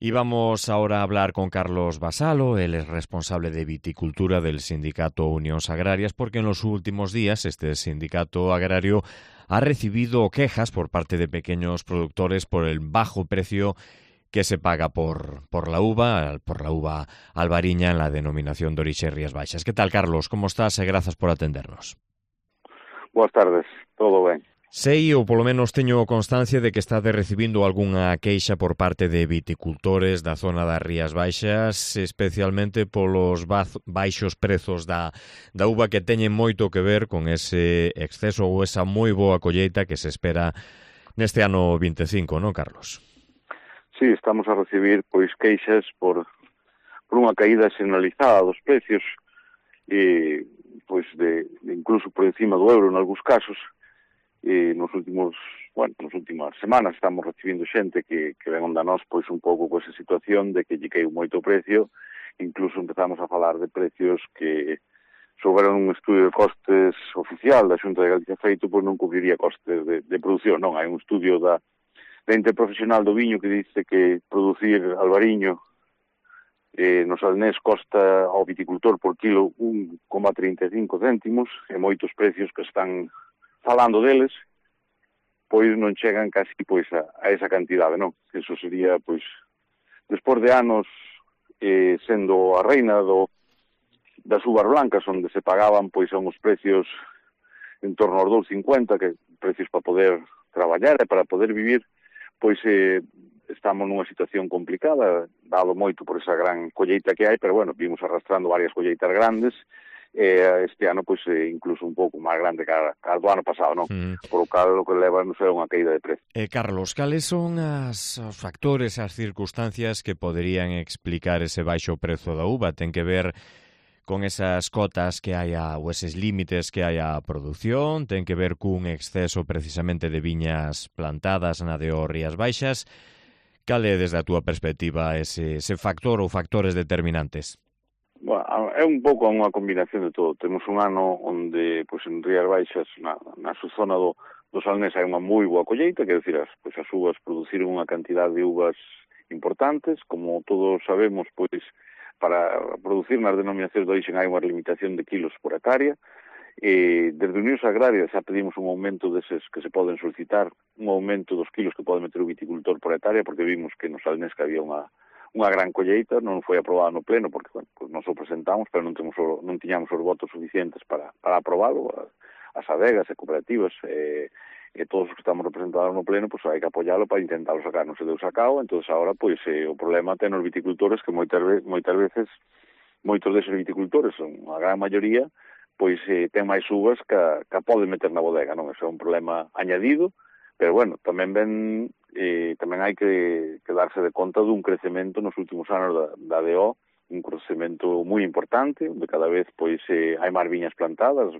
Y vamos ahora a hablar con Carlos Vasalo, él es responsable de viticultura del sindicato Unións Agrarias, porque en los últimos días este sindicato agrario ha recibido quejas por parte de pequeños productores por el bajo precio que se paga por la uva albariña en la denominación de orixe Rías Baixas. ¿Qué tal, Carlos? ¿Cómo estás? Grazas por atendernos. Boas tardes, todo ben. Sei, ou polo menos teño constancia de que estade recibindo algunha queixa por parte de viticultores da zona das Rías Baixas, especialmente polos baixos prezos da uva, que teñen moito que ver con ese exceso ou esa moi boa colleita que se espera neste ano 25, non, Carlos? Sí, estamos a recibir queixas por unha caída xeneralizada dos precios e incluso por encima do euro en algúns casos. Nas últimas semanas estamos recibindo xente que ven onda nós un pouco con esa situación de que lle caíu moito o precio. Incluso empezamos a falar de precios que souberon un estudio de costes oficial da Xunta de Galicia feito, non cubriría costes de produción. Non, hai un estudio da Interprofesional do Viño que dice que producir albariño no Salnés costa ao viticultor por kilo 1,35 céntimos, e moitos precios que están falando deles, non chegan casi a esa cantidade, non? Eso sería, despois de anos sendo a reina das uvas blancas, onde se pagaban a uns precios en torno aos 2,50, que precios para poder traballar e para poder vivir, estamos nunha situación complicada, dado moito por esa gran colleita que hai, pero vimos arrastrando varias colleitas grandes, este ano incluso un pouco máis grande que a do ano pasado, non? Por o cal o que leva non é unha caída de precio. Carlos, cales son os factores, as circunstancias que poderían explicar ese baixo prezo da uva? Ten que ver con esas cotas que hai ou eses límites que hai a produción? Ten que ver cun exceso precisamente de viñas plantadas na de Rías Baixas? Cal é, desde a túa perspectiva, ese factor ou factores determinantes? É un pouco unha combinación de todo. Temos un ano onde, en Rías Baixas, na zona do Salnés, hai unha moi boa colleita, que decir, as uvas produciron unha cantidad de uvas importantes. Como todos sabemos, para producir nas denominacións de orixe hai unha limitación de kilos por hectárea. Desde Unións Agrarias xa pedimos un aumento deses que se poden solicitar, un aumento dos kilos que pode meter o viticultor por hectárea, porque vimos que no Salnés que había unha gran colleita, non foi aprobada no pleno, porque nos o presentamos, pero non tiñamos os votos suficientes para aprobalo. As adegas e cooperativas e todos os que estamos representados no pleno, hai que apoialo para intentarlo sacar. Non se deu sacado, entón agora o problema ten os viticultores, que moitas veces moitos deses viticultores, a gran maioría, ten máis uvas que poden meter na bodega, non? Eso é un problema añadido, pero tamén hai que darse de conta dun crecemento nos últimos anos da DO, un crecemento moi importante, onde cada vez hai máis viñas plantadas,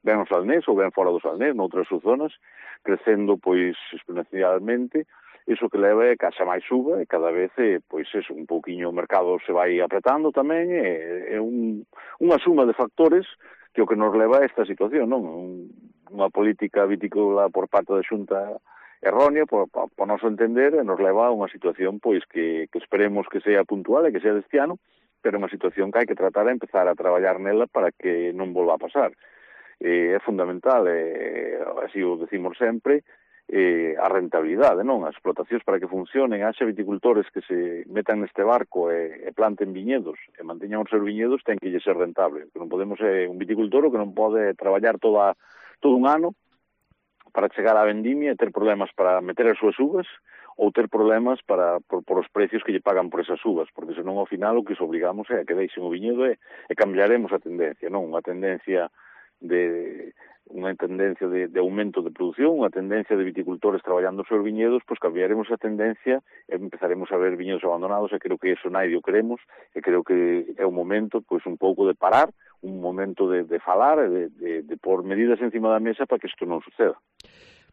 ben no Salnés ou ben fora do Salnés, noutras zonas, crecendo exponencialmente. Iso que leva é que haxa máis uva e cada vez un pouquiño o mercado se vai apretando tamén, é unha suma de factores que o que nos leva a esta situación, non? Unha política vitícola por parte da Xunta errónea, por noso entender, nos leva a unha situación que esperemos que sea puntual e que sea deste ano, pero unha situación que hai que tratar de empezar a traballar nela para que non volva a pasar. É fundamental, así o decimos sempre, a rentabilidade, non? As explotacións para que funcionen, haxa viticultores que se metan neste barco e planten viñedos e manteñan os seus viñedos, ten que ser rentable. Non podemos ser un viticultor que non pode traballar todo un ano para chegar á vendimia e ter problemas para meter as súas uvas ou ter problemas por os precios que lle pagan por esas uvas, porque senón ao final o que os obrigamos é a que deixen o viñedo e cambiaremos a tendencia, non? Unha tendencia de aumento de produción, unha tendencia de viticultores traballando os seus viñedos, cambiaremos a tendencia e empezaremos a ver viñedos abandonados, e creo que eso naide o queremos, e creo que é un momento un pouco de parar, un momento de falar e de pôr medidas encima da mesa para que isto non suceda.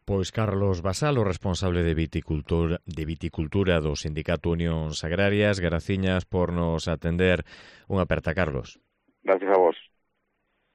Pois Carlos Vasalo, responsable de viticultura do Sindicato Unións Agrarias, graciñas por nos atender. Unha aperta, Carlos. Gracias a vos.